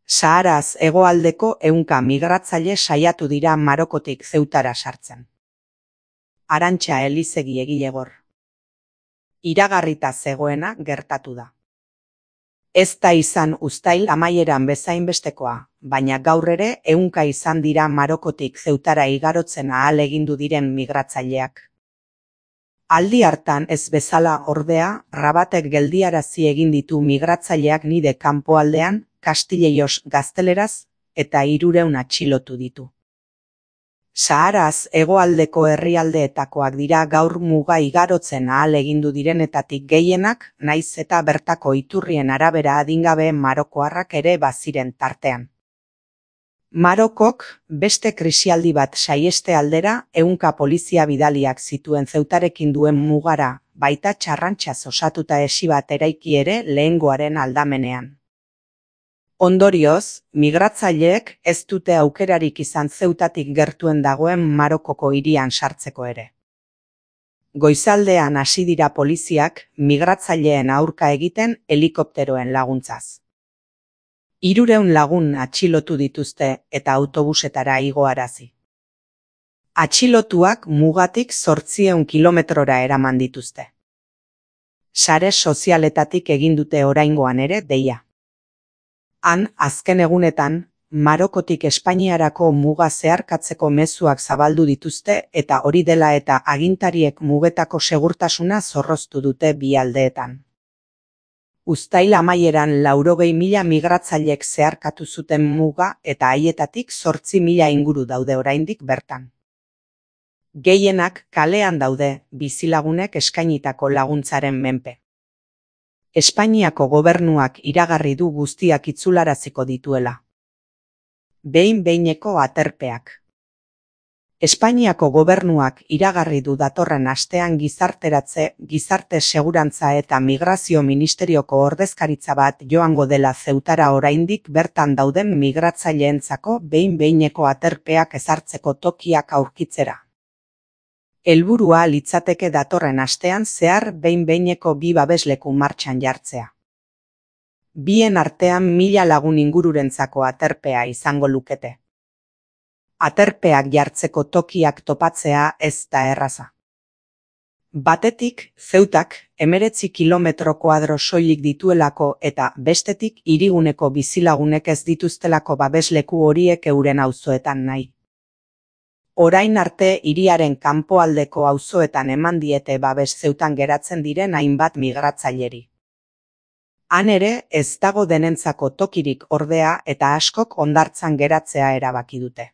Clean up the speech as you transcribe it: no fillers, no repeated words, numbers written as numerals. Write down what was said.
Saharaz hegoaldeko 100 migratzaile saiatu dira Marokotik Zeutara sartzen. Arantxa Elizegi egilegor. Iragarrita zegoena gertatu da. Ez da izan uztail amaieran bezainbestekoa, baina gaur ere 100 izan dira Marokotik Zeutara igarotzen ahalegindu diren migratzaileak. Aldi hartan ez bezala ordea, Rabatek geldiarazi egin ditu migratzaileak nide kanpoaldean, Kastileios gazteleraz, eta 300 atxilotu ditu. Saharaz hegoaldeko herrialdeetakoak dira gaur muga igarotzen ahalegindu direnetatik gehienak, nahiz eta bertako iturrien arabera adingabe marokoarrak ere baziren tartean. Marokok beste krisialdi bat saieste aldera 100 polizia bidaliak zituen Zeutarekin duen mugara, baita txarrantxaz osatuta esi bat eraiki ere lehengoaren aldamenean. Ondorioz, migratzaileek ez dute aukerarik izan Zeutatik gertuen dagoen Marokoko hirian sartzeko ere. Goizaldean hasi dira poliziak migratzaileen aurka egiten helikopteroen laguntzaz. 300 lagun atxilotu dituzte eta autobusetara igoarazi. Atxilotuak mugatik 800 kilometrora eraman dituzte. Sare sozialetatik egin dute oraingoan ere deia. Han, azken egunetan, Marokotik Espainiarako muga zeharkatzeko mezuak zabaldu dituzte eta hori dela eta agintariek mugetako segurtasuna zorroztu dute bi aldeetan. Uztail amaieran 80.000 migratzailek zeharkatu zuten muga eta haietatik 8.000 inguru daude oraindik bertan. Gehienak kalean daude bizilagunek eskainitako laguntzaren menpe. Espainiako gobernuak iragarri du guztiak itzularaziko dituela. Behin-behineko aterpeak. Espainiako gobernuak iragarri du datorren astean gizarte segurantza eta migrazio ministerioko ordezkaritza bat joango dela Zeutara oraindik bertan dauden migratzaileentzako behin-behineko aterpeak ezartzeko tokiak aurkitzera. Helburua litzateke datorren astean zehar behin-behineko 2 babesleku martxan jartzea. Bien artean 1000 lagun ingururentzako aterpea izango lukete. Aterpeak jartzeko tokiak topatzea ez da erraza. Batetik, Zeutak 19 kilometro kuadro soilik dituelako eta bestetik hiriguneko bizilagunek ez dituztelako babesleku horiek euren auzoetan nahi. Orain arte hiriaren kanpoaldeko auzoetan eman diete babes Zeutan geratzen diren hainbat migratzaileri. Han ere ez dago denentzako tokirik ordea eta askok hondartzan geratzea erabaki dute.